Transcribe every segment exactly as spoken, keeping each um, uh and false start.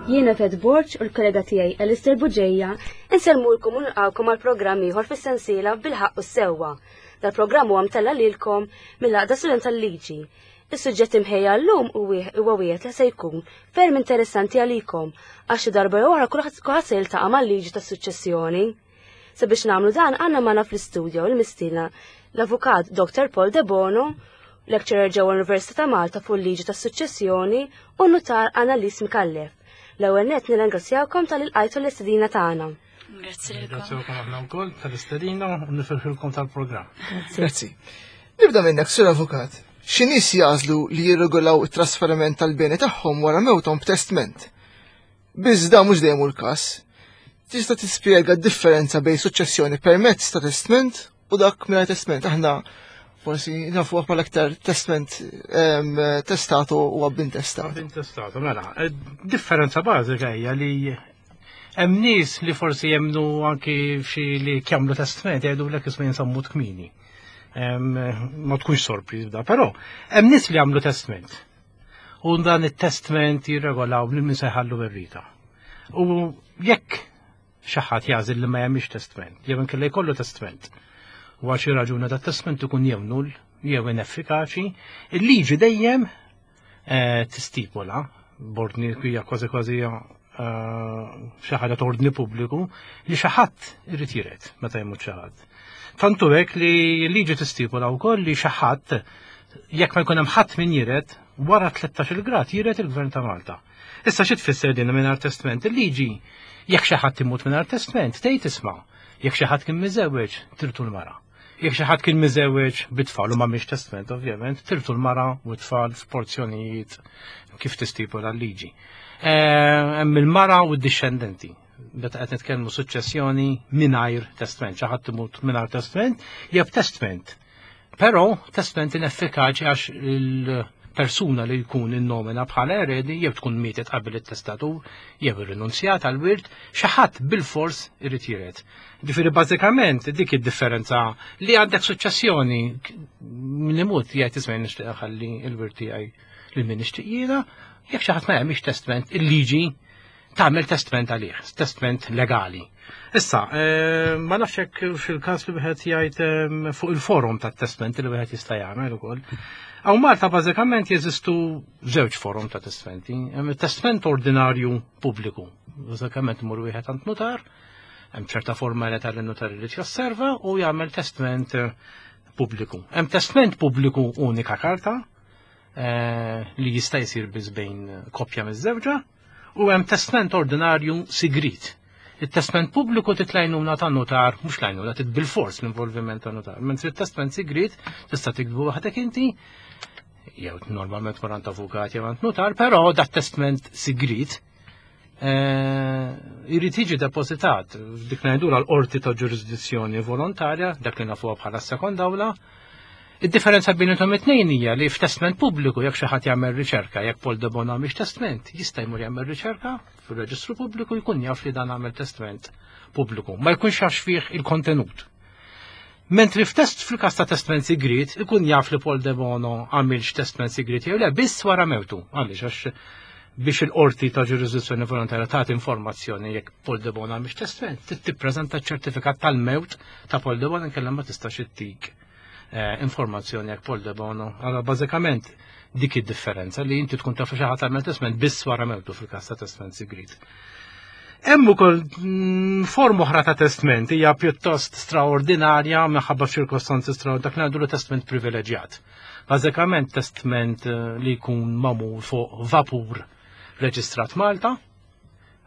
Jiena Fed Borg u l-kollega tiegħi Alistair Buġeja insellmulkom u nilqgħukom għal programm ieħor fis-sensiela Bil-Ħaqq u s-Sewwa. Dal-programm huwa mtella' lilkom mill-Għaqda Student tal-Liġi. Is-suġġett imħejja llum huwa wieħed li se jkun ferm interessanti għalikom għax xi darba jew oħra kulħadd se jiltaqa' mal-liġi tas-suċċessjoni. Sabiex nagħmlu dan għandna magħna fl-istudio il-mistiedna l-Avukat Doctor Paul De Bono, lecturer ġewwa l-Università ta' Malta fuq il-liġi tas-suċċessjoni, u nutar Annalise Micallef. L-ewwel nett nirringrazzjawkom talli lqajtu l-istedina tagħna. Grazzi lilkom. Grazzi aħna wkoll tal-istedina u nifirħilkom tal-programm. Grazzi. Nibda minnek, Sur Avukat. Xi nies jagħżlu li jirregolaw it-trasferiment tal-beni tagħhom wara mewthom b'testment. Biss da mhux dejjem hu l-każ. Tista' tispjega d-differenza bejn suċċessjoni permezz ta' testment u dak mingħajr testment? Aħna forsi nafu bħala aktar testment testato u abintestato. Abintestato, mela. Differenza bażika hija li hemm nies li forsi jemnu anki f'xi li jagħmlu testament jgħidu lek isma' jinsammu kmini. Ma tkunx sorpriż b'da, però hemm nies li jagħmlu testament. U dan it-testament jirregolaw lil min se jħallu werrieta. U jekk xi ħadd jagħżel li ma jagħmilx testament, jew inkella jkollu testament, u għal xi raġuna dat testament ikun jew null jew ineffikaċi, il-liġi dejjem eh, tistipula, b'ordni hija kważi kważi eh, xi ħaġa t'ordni pubbliku, li xi ħadd irid jiret meta jmut xi ħadd. Tantu hekk li l-liġi tistipula wkoll li xi ħadd, jekk ma jkun hemm ħadd min jiret, wara tlettax-il grad jiret il-Gvern ta' Malta. Issa xi tfisser din mingħajr testament? Il-liġi, jekk xi ħadd imut mingħajr testament, tgħid isma', jekk xi ħadd kien miżewweġ, tirtu l-mara. Jekk xi ħadd kien miżewweġ bit-tfal u m'għamilx testament, ovvjament, tirtu l-mara u t-tfal f'porzjonijiet kif tistipula l-liġi. Hemm il-mara u d-dixxendenti. Meta qed nitkellmu suċċessjoni mingħajr testament, xi ħadd imut mingħajr testament, jew testament. Però testament ineffikaċi għax il-persuna li jkun innomina bħala eredi jew tkun mietet qabel it-testatur jew irrinunzjat għal wirt, xi ħadd bil-fors irid jiret. Ġifieri bażikament dik id-differenza li għandek suċċessjoni min imut jgħid isma' nixtieq ħalli l-wirt tiegħi lil min nixtieq jiena, jekk xi ħadd ma jagħmilx testament, il-liġi tagħmel testament għalih, testament legali. Issa, eh, ma nafx hekk fil-każ li wieħed jgħid eh, fuq il-forum tat-testament li wieħed jista' jagħmel ukoll. Hawn Malta bażikament jeżistu żewġ forum ta' testamenti. Hemm it-testament ordinarju pubbliku. Bażikament imur wieħed għand notar, hemm ċerta formalità li notar irid josserva u jagħmel testament eh, pubbliku. Hemm testament pubbliku unika karta eh, li jista' jsir biss bejn koppja miż-żewġa, u hemm testament ordinarju sigrit. Il-testament pubbliku trid l-għajnuna ta' notar, mhux l-għajnuna, trid bil-fors l-involviment ta' notar. Mentri il-testament sigrit tista' tiktbu waħdek inti, jew normalment tmur għand avukat jew għand notar, però dat testament sigrit eh, jrid jiġi depozitat dik ngħidu l-qorti ta' ġurisdizzjoni volontarja, dak li nafuha bħala sekonda awla. Id-differenza bejn it-tnejn hija li f'testament pubbliku jekk xi ħadd jagħmel riċerka, jekk Paul de Bono mhix testament, jista' jmur jagħmel riċerka fir-reġistru pubbliku, jkun jaf li dan għamel testament pubbliku, ma jkunx jaf fih il-kontenut. Mentri f'test fil-każ ta' testament sigrit, ikun jaf li Paul de Bono għamilx testament sigrit jew le biss wara mewtu. Għaliex? Għax biex il-qorti ta' ġurisdizzjoni volontarja tagħti informazzjoni jekk Paul de Bono għamilx testament, trid tippreżenta ċertifikat tal-mewt ta' Paul de Bono, inkella ma tistax ittik eh, informazzjoni jekk Paul de Bono. Allora bażikament dik id-differenza li inti tkun taf xi ħadd għamel testament biss wara mewtu fil-każ ta' testament sigrit. Hemm ukoll mm, forma oħra ta' testament, hija pjuttost straordinarja minħabba f'ċirkostanzi straordinarji, dak li ngħidu testament privileġġjat. Bażikament testament eh, li jkun magħmul fuq vapur reġistrat Malta,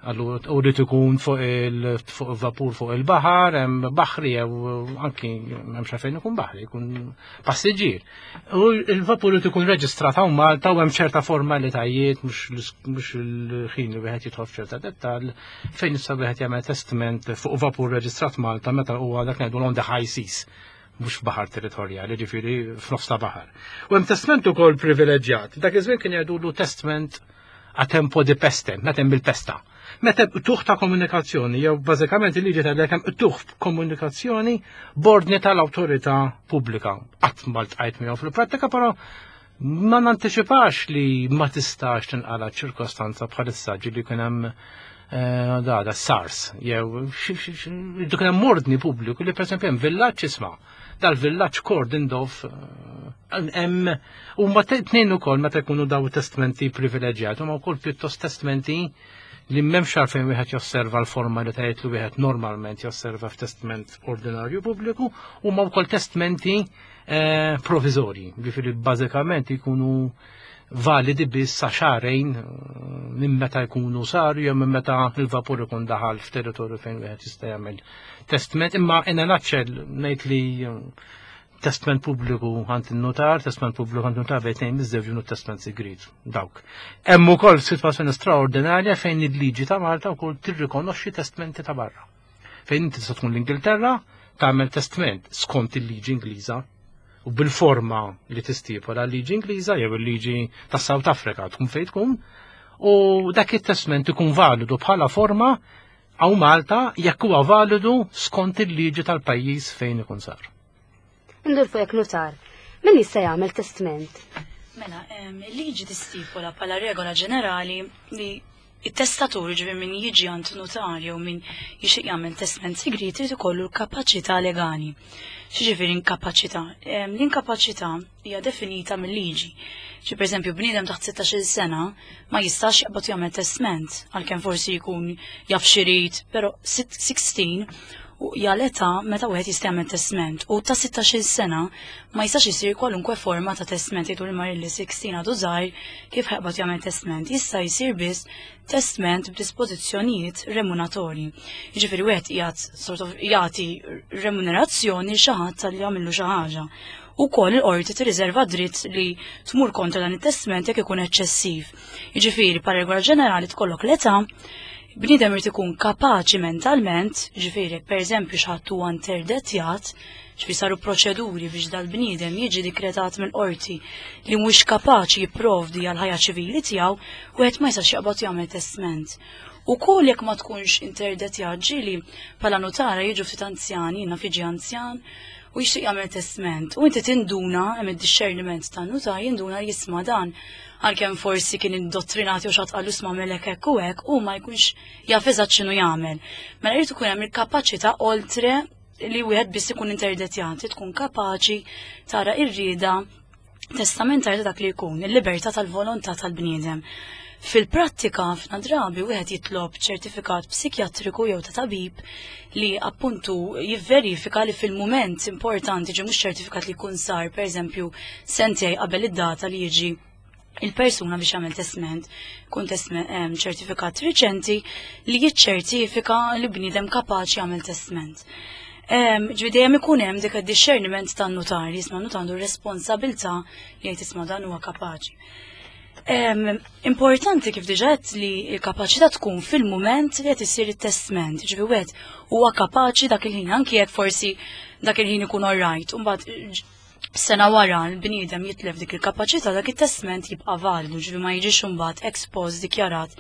allura u li ikun fuq il fuq vapur fuq il-baħar, hemm baħri jew anki hemm xa fejn ikun baħri, ikun passiġġier. U il-vapur li ikun reġistrat hawn Malta u hemm ċerta formalitajiet, mhux mhux il-ħin li wieħed jidħol f'ċerta dettall, fejn issa wieħed jagħmel testament fuq vapur reġistrat Malta meta huwa dak ngħidu on the high seas, mhux baħar territorjali, ġifieri f'nofs ta' baħar. U hemm testament ukoll privileġġjat. Dak iż-żmien kien jgħidulu testament a tempo di peste, meta hemm il-pesta. Meta tuħ ta' komunikazzjoni, jew bażikament il-liġi tgħidlek hemm tuħ komunikazzjoni b'ordni tal-awtorità pubblika. Qatt ma ltqajt miegħu fil-prattika, però Ma nanticipax li ma tistax tinqala ċirkostanza bħalissa ġieli kien hemm eh, da da SARS jew kien hemm ordni pubbliku li pereżempju hemm villaġġ isma' dal-villaġġ cordoned off eh, hemm huma tnejn ukoll meta jkunu daw testmenti privileġġjati huma wkoll pjuttost testmenti li m'hemmx għalfejn wieħed josserva l-formalitajiet li wieħed normalment josserva f'testment ordinarju pubbliku huma wkoll testmenti eh, provizorji, ġifieri bażikament jkunu validi biss sa xahrejn eh, minn meta jkunu saru jew minn meta il-vapur ikun daħal f'territorju fejn wieħed jista' jagħmel testment, imma in a nutshell ngħid li eh, testment pubbliku għand in-notar, testment pubbliku għand notar bejn tnejn miżżewġin u testment sigriet. Dawk. Hemm ukoll sitwazzjoni straordinarja fejn il-liġi ta' Malta wkoll tirrikonoxxi testmenti ta' barra. Fejn inti tista' tkun l-Ingilterra tagħmel testment skont il-liġi Ingliża u bil-forma li tistipola l-liġi Ingliża jew il-liġi ta' South Africa tkun fejn tkun u dak it-testment ikun validu bħala forma hawn Malta jekk huwa validu skont il-liġi tal-pajjiż fejn ikun sar. Indur fuq notar. Min jista' jagħmel testament? Mela, em, il-liġi tistipola bħala regola ġenerali li it-testatur, ġifieri min jiġi għand notar jew min jixtieq jagħmel testament sigriet irid ikollu l-kapaċità legali. X'jiġifieri inkapaċità? Em, L-inkapaċità hija definita mill-liġi. Ġi pereżempju bniedem taħt sittax-il sena ma jistax jaqbad jagħmel testament għalkemm forsi jkun jaf x'irid, però sittax u hija l-età meta wieħed jista' jagħmel testament u ta' sittax-il sena ma jistax isir kwalunkwe forma ta' testament jgħidu li mar li sittax għadu żgħir kif ħa jaqbad jagħmel testament. Jista' jsir biss testament b'dispożizzjonijiet remuneratorji. Jiġifieri wieħed jgħat sort of jagħti remunerazzjoni xi ħadd talli jagħmillu xi ħaġa. Ukoll il-qorti tirriserva dritt li tmur kontra dan it-testament jekk ikun eċċessiv. Jiġifieri pa regola ġenerali tkollok l-età, bniedem irid ikun kapaċi mentalment, ġifieri pereżempju xi ħadd huwa interdetjat, ġifieri saru proċeduri biex dal-bniedem jiġi dikretat mill-qorti li mhux kapaċi jipprovdi għal ħajja ċivili tiegħu, wieħed ma jistax jaqbad jagħmel testament. Ukoll jekk ma tkunx interdetjat ġieli bħala notara jiġu ftit anzjani, jiena fiġi anzjan, u jixtieq jagħmel testament. U inti tinduna hemm id-discerniment tan-nutar jinduna li jisma' dan għalkemm forsi kien indottrinati u xi ħadd qallu isma' melek hekk u hekk u ma jkunx jaf eżatt x'inhu jagħmel. Mela jrid ikun hemm il-kapaċità oltre li wieħed biss ikun interdetjat, tkun kapaċi tara ir-rieda testamentari ta' dak li jkun, il-libertà tal-volontà tal-bniedem. Fil-prattika, ħafna drabi wieħed jitlob ċertifikat psikjatriku jew ta' tabib li appuntu jivverifika li fil-mument importanti ġi mhux ċertifikat li jkun sar, pereżempju, sentej qabel id-data li jiġi il-persuna biex jagħmel testament, kun testament em, ċertifikat riċenti li jiċċertifika li bniedem kapaċi jagħmel testament. Ġifieri dejjem ikun hemm dik id-discerniment tan-notar, jisma' notar għandu responsabilità li jgħid isma' dan huwa kapaċi. Em, importanti kif diġà għedt li l-kapaċità tkun fil-mument li qed isir it-testament, ġifieri wieħed huwa kapaċi dak il-ħin, anki jekk forsi dak il-ħin ikun alright, u mbagħad sena wara l-bniedem jitlef dik il-kapaċità dak it-testament jibqa' validu, ġifieri ma jiġix imbagħad ex post dikjarat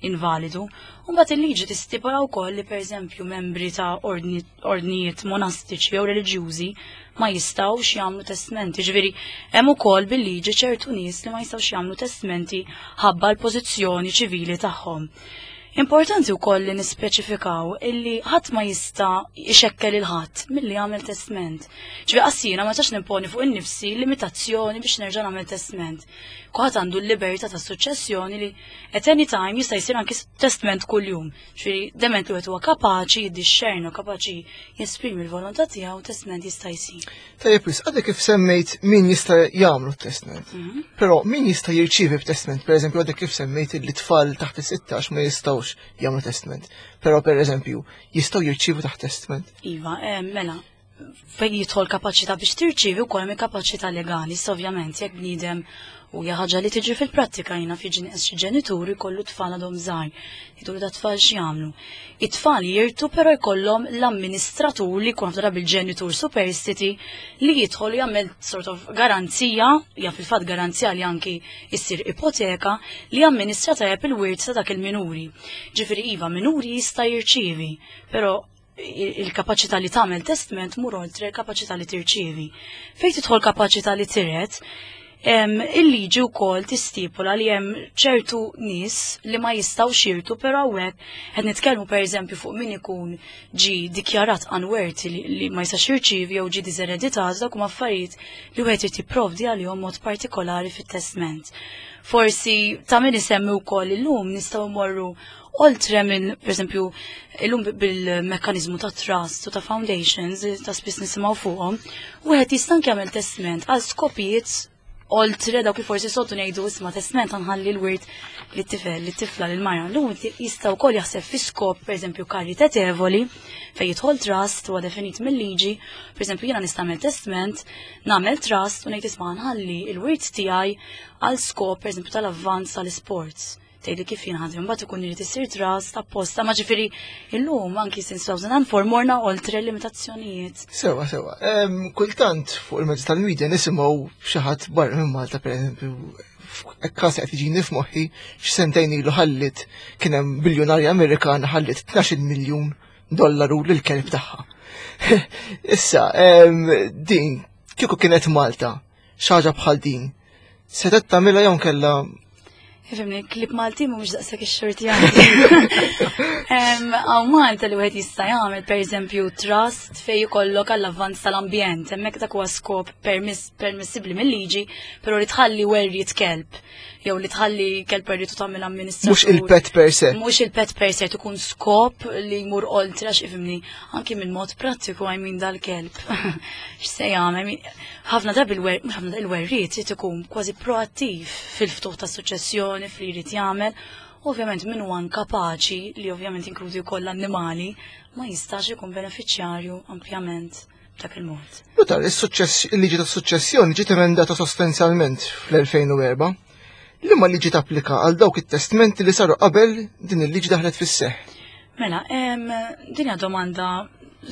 invalidu. U mbagħad il-liġi tistipula wkoll li pereżempju membri ta' ordni, ordnijiet monastiċi jew reliġjużi ma jistgħux jagħmlu testmenti. Ġifieri hemm ukoll bil-liġi ċertu nies li ma jistgħux jagħmlu testmenti ħabba l-pożizzjoni ċivili tagħhom. Importanti wkoll li nispeċifikaw illi ħadd ma jista' jxekkel lil ħadd milli jagħmel testament. Ġifieri qassina ma tax nimponi fuq innifsi limitazzjoni biex nerġa' nagħmel testament. Kulħadd għandu l-libertà ta' suċċessjoni li at any time jista' jsir anki testament kuljum. Ġifieri dement li wieħed huwa kapaċi jiddixxernu, kapaċi jesprimi l-volontà tiegħu, testament jista' jsir. Tajjeb, wis, għadek kif semmejt min jista' jagħmlu testament. Mhm. Però min jista' jirċievi b'testament, pereżempju għadek kif semmejt li tfal taħt is-sittax ma jistgħux jagħmlu testament. Però pereżempju jistgħu jirċievu taħt testament. Iva, eh, mela, fejn jidħol kapaċità biex tirċievi wkoll hemm kapaċità legali, issa ovvjament jekk bniedem u hija ħaġa li tiġi fil-prattika jiena fi xi ġenituri jkollu tfal għadhom żgħar, jgħidu da tfal x'jagħmlu. It-tfal jirtu però jkollhom l-amministratur li jkun ħafna bil-ġenitur superstiti li jidħol jagħmel sort of garanzija, hija fil-fatt garanzija li anki issir ipoteka li jamministra tajjeb il-wirt ta' dak il-minuri. Ġifieri iva, minuri jista' jirċievi, però il-kapaċità li tagħmel testament mur oltre il-kapaċità li tirċievi. Fejn tidħol kapaċità li tiret, Il-liġi wkoll tistipula li hemm ċertu nies li ma jistgħux jirtu, però hawnhekk qed nitkellmu pereżempju fuq min ikun ġi dikjarat unworthy li, li ma jistax jirċievi jew ġi diżereditat, dak huma affarijiet li wieħed irid jipprovdi għalihom mod partikolari fit-testment. Forsi ta' min isemmi wkoll illum nistgħu mmorru oltre minn, per esempio, illum bil-mekkanizmu ta' trust u ta' foundations, ta' spiss nisimgħu fuqhom, wieħed jista' anke jagħmel testament għal skopijiet oltre dawk li forsi soltu ngħidu, isma', testament nħalli l-wirt lit-tifel, lit-tifla, lil-mara. Llum jista' wkoll jaħseb fi skop, pereżempju, karitatevoli, fejn jidħol trust huwa definit mill-liġi. Pereżempju, jiena nista' nagħmel testament, nagħmel trust u ngħid, isma', nħalli l-wirt tiegħi għal skop, pereżempju, tal-avvanz tal-sports. Tgħidli kif jien ħadem, mbagħad ikun irid isir trust apposta, ma ġifieri illum anki since two thousand four morna oltre limitazzjonijiet. Sewa, sewa. Em, Kultant fuq il-mezzi tal-medja nisimgħu xi ħadd barra minn Malta, pereżempju, każ qed jiġini f'moħħi, x'sentejn ilu ħallit, kien hemm biljonarja Amerikana ħallit tnax-il miljun dollaru lil kelb tagħha. Issa, em, din kieku kienet Malta, xi ħaġa bħal din, setgħet tagħmilha jew kellha? Ifhimni, klieb Malti mhumiex daqshekk ix-xorti għandi. Hawn Malta li wieħed jista' jagħmel, pereżempju, trust fejn jkollok għall-avvanz tal-ambjent, hemmhekk dak huwa skop permiss permissibbli mill-liġi, però li tħalli werriet kelb jew li tħalli kelb werriet u tagħmel amministratur. Mhux il-pet per se. Mhux il-pet per se, tkun skop li jmur oltre għax, ifhimni, anki minn mod prattiku, I mean, dal-kelb x'se jagħmel? I mean, ħafna drabi il-wer, mhux ħafna, il-werriet irid ikun kważi proattiv fil-ftuħ ta' suċċessjoni fli jrid jagħmel. Ovvjament min huwa inkapaċi, li ovvjament inkludi wkoll l-annimali, ma jistax ikun benefiċjarju ampjament b'dak il-mod. Nutar, is-suċċess, il-liġi ta' suċċessjoni ġiet emendata sostanzjalment fl-elfejn u erbgħa. Liema liġi tapplika għal dawk it-testmenti li saru qabel din il-liġi daħlet fis-seħħ? Mela, em, din hija domanda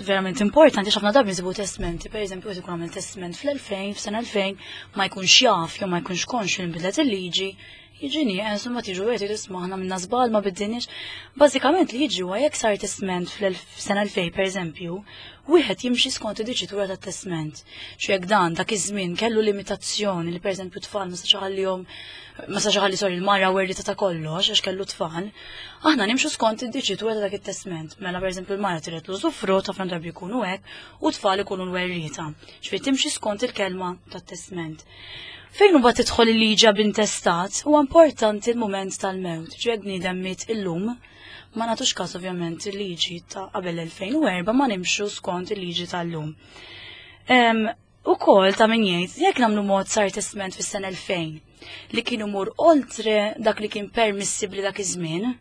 verament importanti għax ħafna drabi nsibu testmenti, per eżempju, qed ikun għamel testament fl-elfejn, f'sena elfejn, ma jkunx jaf jew ma jkunx konxju li nbidlet il-liġi, jiġi nieqes u ma tiġu għetu tisma' aħna minna żball, ma biddinix. Bażikament li jiġi huwa jekk sar testament fl-sena elfejn, per eżempju, wieħed jimxi skont id-diċitura tat-testament. Xu jekk dan dak iż-żmien kellu limitazzjoni li, pereżempju, tfal ma sax ħallihom, ma sax ħalli, sorry, il-mara werrita ta' kollox għax kellu tfal, aħna nimxu skont id-diċitura ta' dak it-testament. Mela, pereżempju, l-mara tiret l-użufrutt, ħafna drabi jkunu hekk, u tfal ikunu l-werrita. Ġifieri timxi skont il-kelma tat-testament. Fejn huwa tidħol il-liġi ab intestat, huwa importanti l-mument tal-mewt. Ġifieri bniedem miet illum, ma nagħtux każ ovvjament il-liġi ta' qabel elfejn u erbgħa, ma nimxu skont il-liġi tal-lum. Ukoll ta' min jgħid, jekk nagħmlu mod sar testament fis-sena elfejn li kienu mur oltre dak li kien permissibbli dak iż-żmien,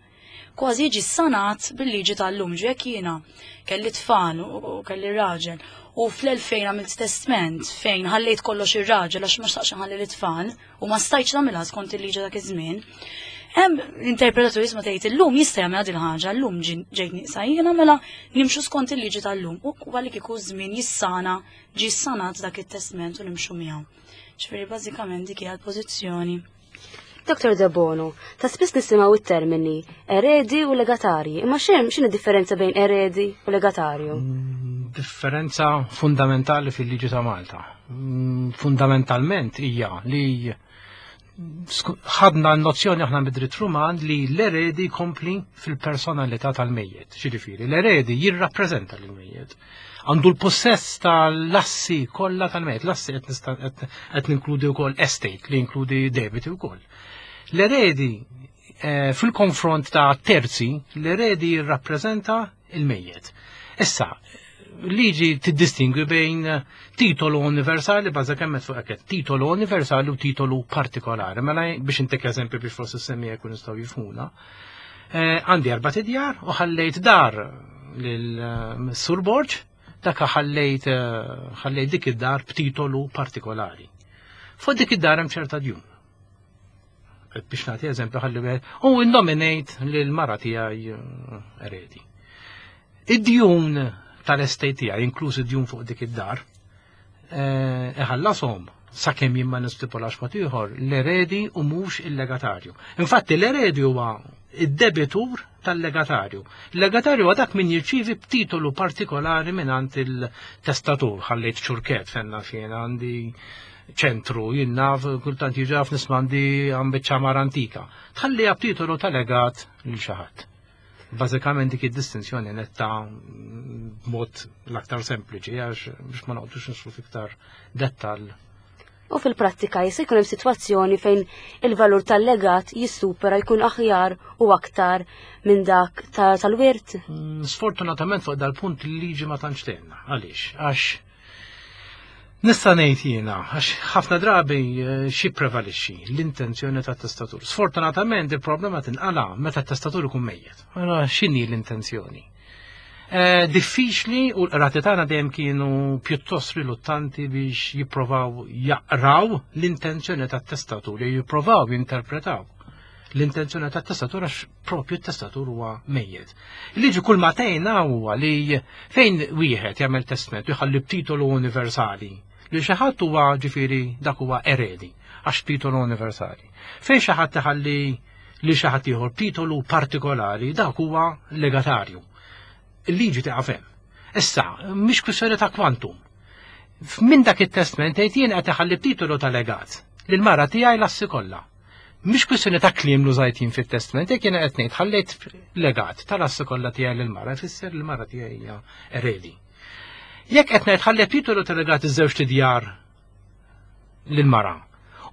kważi jiġi sanat bil-liġi tal-lum. Ġu jekk jiena kelli tfal u kelli raġel u fl-elfejn għamilt testament fejn ħallejt kollox ir-raġel għax ma xtaqx nħalli l-tfal u ma stajtx nagħmilha skont il-liġi dak iż-żmien. Hemm l-interpretatur jisma' tgħid illum jista' jagħmel din il-ħaġa, llum ġejt nieqsa jiena, mela nimxu skont il-liġi tal-lum u għalli kieku żmien jissana ġi sanat dak it-testament u nimxu miegħu. Ġifieri bażikament dik hija l-pożizzjoni. Doktor Debono, ta' spiss nisimgħu it-termini eredi u legatarji, imma xem x'inhi differenza bejn eredi u legatarju? Mm, differenza fundamentali fil-liġi ta' Malta. Mm, Fundamentalment hija li ħadna n-nozzjoni aħna mid-dritt Ruman li l-eredi kompli fil-personalità tal-mejjet. Xiġifieri, l-eredi jirrappreżenta l-mejjet. Għandu l-possess tal-assi kollha tal-mejjet. L-assi qed ninkludi wkoll estate li jinkludi debiti wkoll. L-eredi eh, fil-konfront ta' terzi, l-eredi jirrappreżenta il-mejjet. Issa, liġi tiddistingwi bejn titolu universali, bażikament fuq hekk, titolu universali u titolu partikolari. Mela, biex intik eżempju biex forsi semmi jkun nistgħu jifhmuna. Eh, għandi erbat idjar u ħallejt dar lil Sur Borg, dak ħallejt eh, ħallejt dik id-dar b'titolu partikolari. Fuq dik id-dar hemm ċerta djun. Biex nagħti eżempju, ħalli wieħed u innominate lil mara tiegħi eh, eredi. Id-djun tal-estate tiegħi, inkluż id-djun fuq dik id-dar, eh, iħallashom sakemm jien ma nistipulax mod ieħor l-eredi u mhux il-legatarju. Infatti l-eredi huwa id-debitur tal-legatarju. Il-legatarju huwa dak min jirċievi b'titolu partikolari mingħand il-testatur, ħallejt ċurket fenna fejn għandi ċentru, jien naf, kultant jiġi nismandi għam ċamar antika. Tħalliha b'titolu ta' legat lil xi ħadd. Bażikament dik id-distinzjoni netta b'mod l-aktar sempliċi, għax biex ma noqgħodux nidħlu fiktar dettal. U fil-prattika jista' jkun hemm sitwazzjoni fejn il-valur tal-legat jissupera, jkun aħjar u aktar minn dak tal-wirt? Mm, sfortunatament fuq dal-punt il-liġi ma tantx tgħinna. Għaliex? Għax nista' ngħid jiena, għax ħafna drabi eh, xi prevalixxi l-intenzjoni tat-testatur. Sfortunatament il-problema tinqala meta t-testatur ikun mejjet. Allora x'inhi l-intenzjoni? Eh, diffiċli u l-qrati tagħna dejjem kienu pjuttost riluttanti biex jipprovaw jaqraw l-intenzjoni tat-testatur, jew jipprovaw jinterpretaw l-intenzjoni tat-testatur, għax propju t-testatur huwa mejjet. Il-liġi kull ma tgħinna huwa li fejn wieħed jagħmel testament u jħalli b'titolu universali li xi ħadd, huwa ġifieri dak huwa eredi għax titolu universali. Fejn xi ħadd iħalli li xi ħadd ieħor titolu partikolari, dak huwa legatarju. Il-liġi tieqaf hemm. Issa, mhix kwistjoni ta' kwantum. Minn dak it-testament tgħid jien qed iħalli titolu ta' legat lil mara tiegħi l-assi kollha. Mhix kwistjoni ta' kliem li użajt jien fit-testament, jekk jiena qed ngħid ħallejt legat tal-assi kollha tiegħi lil mara, ifisser li l-mara tiegħi hija eredi. Jekk qed ngħid ħallejt titolu ta' legat iż-żewġ tidjar lil mara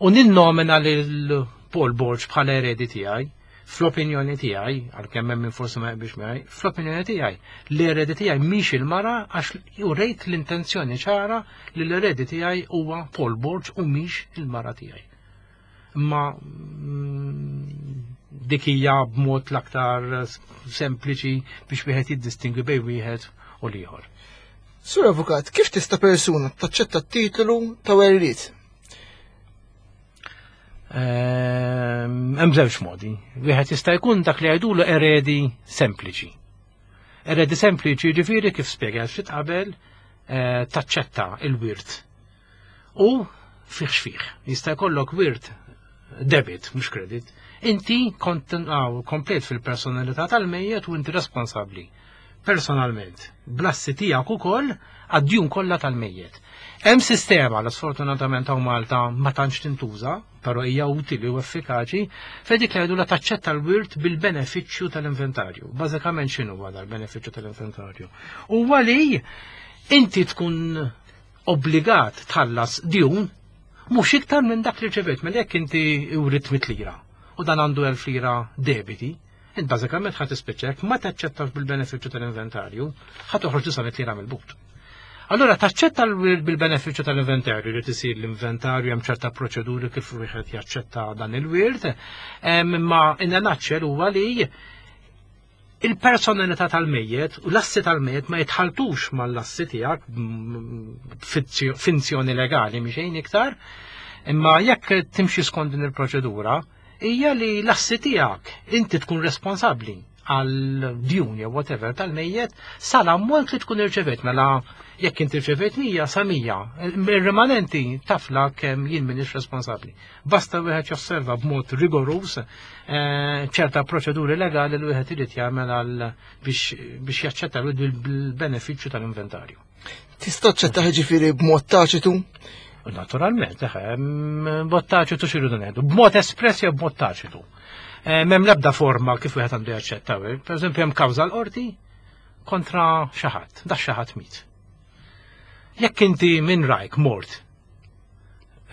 u ninnomina lil Paul Borg bħala eredi tiegħi, fl-opinjoni tiegħi, għalkemm hemm min forsi ma jaqbilx miegħi, fl-opinjoni tiegħi, l-eredi tiegħi mhix il-mara, għax urejt l-intenzjoni ċara li l-eredi tiegħi huwa Paul Borg u mhix il-mara tiegħi. Imma mm, dik hija b'mod l-aktar sempliċi biex wieħed jiddistingwi bejn wieħed u l-ieħor. Sur Avukat, kif tista' persuna taċċetta t-titolu ta' werriet? Ehm, hemm żewġ modi. Wieħed jista' jkun dak li jgħidulu eredi sempliċi. Eredi sempliċi ġifieri kif spjegajt ftit qabel, eh, taċċetta il-wirt. U fih x'fih. Jista' jkollok wirt debit, mhux kredit. Inti kont komplet fil-personalità tal-mejjet u inti responsabbli personalment bl-assi tiegħek ukoll għad-djun kollha tal-mejjet. Hemm sistema li sfortunatament hawn Malta ma tantx tintuża, però hija utili u effikaċi, fejn dik li jgħidu taċċetta l-wirt bil-benefiċċju tal-inventarju. Bażikament x'inhu huwa dal-benefiċċju tal-inventarju? Huwa li inti tkun obbligat tħallas djun mhux iktar minn dak li rċevejt. Mela jekk inti writt mitt lira u dan għandu elf lira debiti, int bażikament ħa tispiċċa, ma taċċettax bil-benefiċċju tal-inventarju, ħa toħroġ disa' lira mill-but. Allora taċċetta l-wirt bil-benefiċċju tal-inventarju, li tisir l-inventarju, hemm ċerta proċeduri kif wieħed jaċċetta dan il-wirt, imma in a nutshell huwa li il-personalità tal-mejjet u l-assi tal-mejjet ma jitħaltux mal-assi tiegħek, finzjoni legali xejn iktar, imma jekk timxi skont din il-proċedura, hija li l-assi tiegħek inti tkun responsabbli għal djun jew whatever tal-mejjet sal-ammont li tkun irċevejt. Mela jekk inti irċevejt mija, sa mija, il-rimanenti tafla kemm jien m'iniex responsabbli. Basta wieħed josserva b'mod rigorus eh, ċerta proċeduri legali li wieħed irid jagħmel għal biex biex jaċċetta bil-benefiċċju tal-inventarju. Tista' taċċetta ġifieri b'mod taċitu? Naturalment, eħe, b'mod taċitu x'irridu ngħidu? B'mod espress jew b'mod taċitu. Eh, m'hemm l-ebda forma kif wieħed għandu jaċċetta. Per eżempju, hemm kawża l-qorti kontra xi ħadd, da xi ħadd miet. Jekk inti minn rajk mort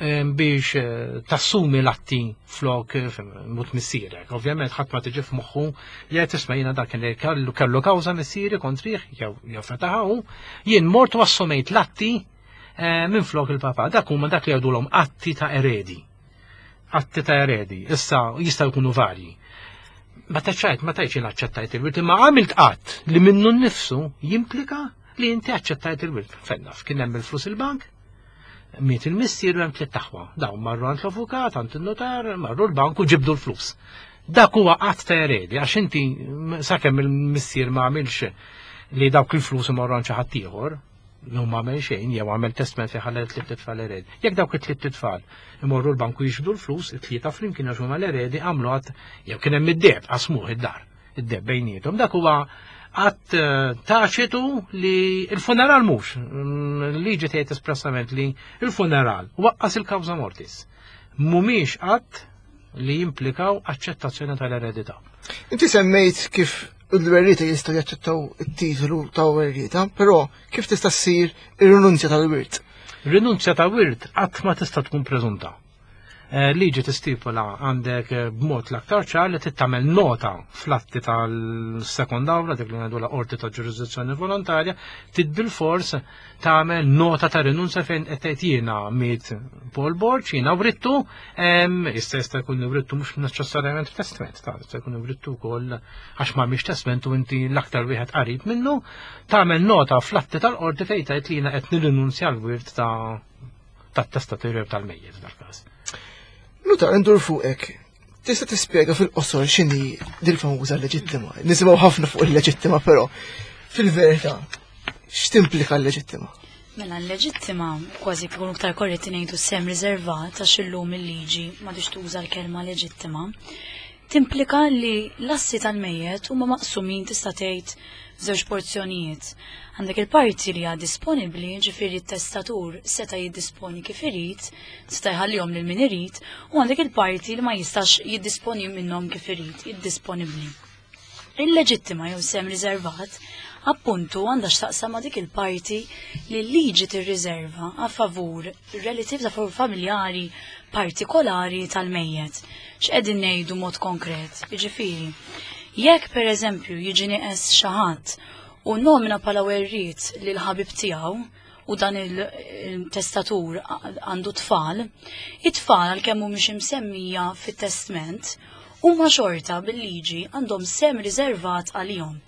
eh, biex eh, tassumi l-atti flok mut missierek, ovvjament ħadd ma tiġi f'moħħu li qed tisma' jiena dak li kellu kellu kawża missieri kontrih jew jew fetaħu, jien mort u assumejt l-atti minn flok il-papa. Dak huma dak li jgħidulhom atti ta' eredi. Atti ta' eredi. Issa jistgħu jkunu varji. Ma taċċajt, ma tajċ jien aċċettajt il-wirt, imma għamilt qatt li minnu nnifsu jimplika li inti aċċettajt il-wirt. Fennaf, kien hemm il-flus il-bank, miet il-missier u hemm tliet aħwa. Dawn marru għand l-avukat, għand il-notar, marru l-bank u ġibdu l-flus. Dak huwa qatt ta' eredi, għax inti sakemm il-missier ma għamilx li dawk il-flus imorru għand xi ħadd ieħor, jew ma għamel xejn, jew għamel testament fejn ħalla tliet tfal eredi. Jekk dawk it-tliet tfal imorru l-banku jiġbdu l-flus, it-tlieta flimkien għax huma l-eredi, għamlu għat, jew kien hemm id-deheb, qasmuh id-dar, id-deheb bejniethom. Dak huwa Att eh, taċitu li il-funeral mhux, mm, liġi tgħid espressament li il-funeral waqqas il-kawża mortis. Mhumiex att li jimplikaw aċċettazzjoni tal-eredità. Inti semmejt kif l-werrieta jistgħu jaċċettaw it-titolu ta' werrieta, però kif tista' ssir ir-rinunzja tal-wirt? Rinunzja ta' wirt qatt ma tista' tkun preżunta. Eh, liġi tistipula għandek eh, b'mod l-aktar ċar li tittamel nota fl-atti tal-sekond awla, dik li ngħidu la qorti ta' ġurisdizzjoni volontarja, trid bil-fors tagħmel nota ta' rinunzja fejn qed tgħid jiena miet Paul Borg, jiena writtu, issa jista' jkun writtu mhux neċessarjament f'testament, ta' jista' jkun writtu wkoll għax ma mhix testament u inti l-aktar wieħed qarib minnu, tagħmel nota fl-atti tal-qorti fejn tgħid li jiena qed nirrinunzja l-wirt ta' tat-testatur tal-mejjet dal-każ. Nutar, ndur fuqek. Tista' tispjega fil-qosor x'inhi dil-famuża leġittima? Nisimgħu ħafna fuq il-leġittima, però fil-verità x'timplika l-leġittima? Mela l-leġittima kważi kunu iktar korretti ngħidu sem riservat għax illum il-liġi m'għadix tuża l-kelma leġittima. Timplika li l-assi tal-mejjet huma maqsumin tista' tgħid f'żewġ porzjonijiet. Għandek il-parti li hija disponibbli, ġifieri t-testatur seta' jiddisponi kif irid, seta' jħallihom lil min irid, u għandek il-parti li ma jistax jiddisponi minnhom kif irid, jiddisponibbli. Il-leġittima jew sem riservat appuntu għandha x'taqsam ma' dik il-parti li l-liġi tirriserva a favur relatives, a favur familjari partikolari tal-mejjet. X'qegħdin ngħidu mod konkret? Jiġifieri, jekk pereżempju jiġi nieqes xi ħadd u nomina bħala werriet lil ħabib tiegħu u dan il-testatur għandu tfal, it-tfal għalkemm mhumiex imsemmija fit-testment huma xorta bil-liġi għandhom sem riservat għalihom.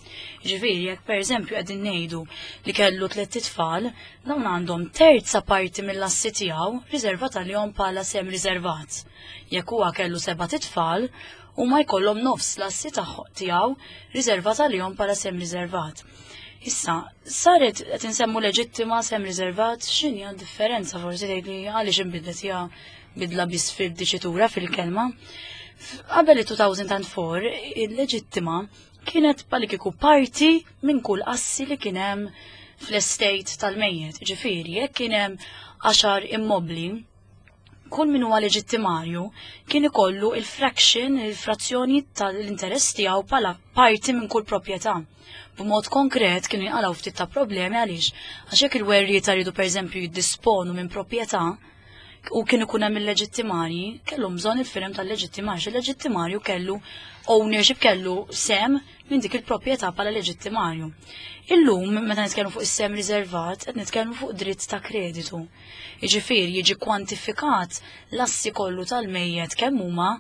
Ġifieri jekk pereżempju qegħdin ngħidu li kellu tliet itfal, dawn għandhom terza parti mill-assi tiegħu riservat għalihom bħala sem riservat. Jekk huwa kellu seba' titfal, huma jkollhom nofs l-assi tiegħu riservat għalihom bħala sem riservat. Issa, saret qed insemmu leġittima sem riservat, x'inhi d-differenza forsi tgħid li għaliex inbidlet hija bidla biss fil-diċitura fil-kelma. Qabel il-two thousand and four, il-leġittima kienet bħal kieku parti minn kull assi li kien hemm fl-estate tal-mejjet. Ġifieri, jekk kien hemm għaxar immobli, kull min huwa leġittimarju kien ikollu il-fraction, il-frazzjoni tal-interess tiegħu bħala parti minn kull proprjetà. B'mod konkret kienu jinqalgħu ftit ta' problemi għaliex għax jekk il-werrieta jridu pereżempju jiddisponu minn proprjetà u kien ikun hemm il-leġittimarji, kellhom bżonn il-firem tal-leġittimarju. Il-leġittimarju kellu ownership, kellu sem minn dik il-proprjetà bħala leġittimarju. Illum, meta nitkellmu fuq is-sem riservat, qed nitkellmu fuq dritt ta' kreditu. Jiġifieri jiġi kwantifikat l-assi kollu tal-mejjet kemm huma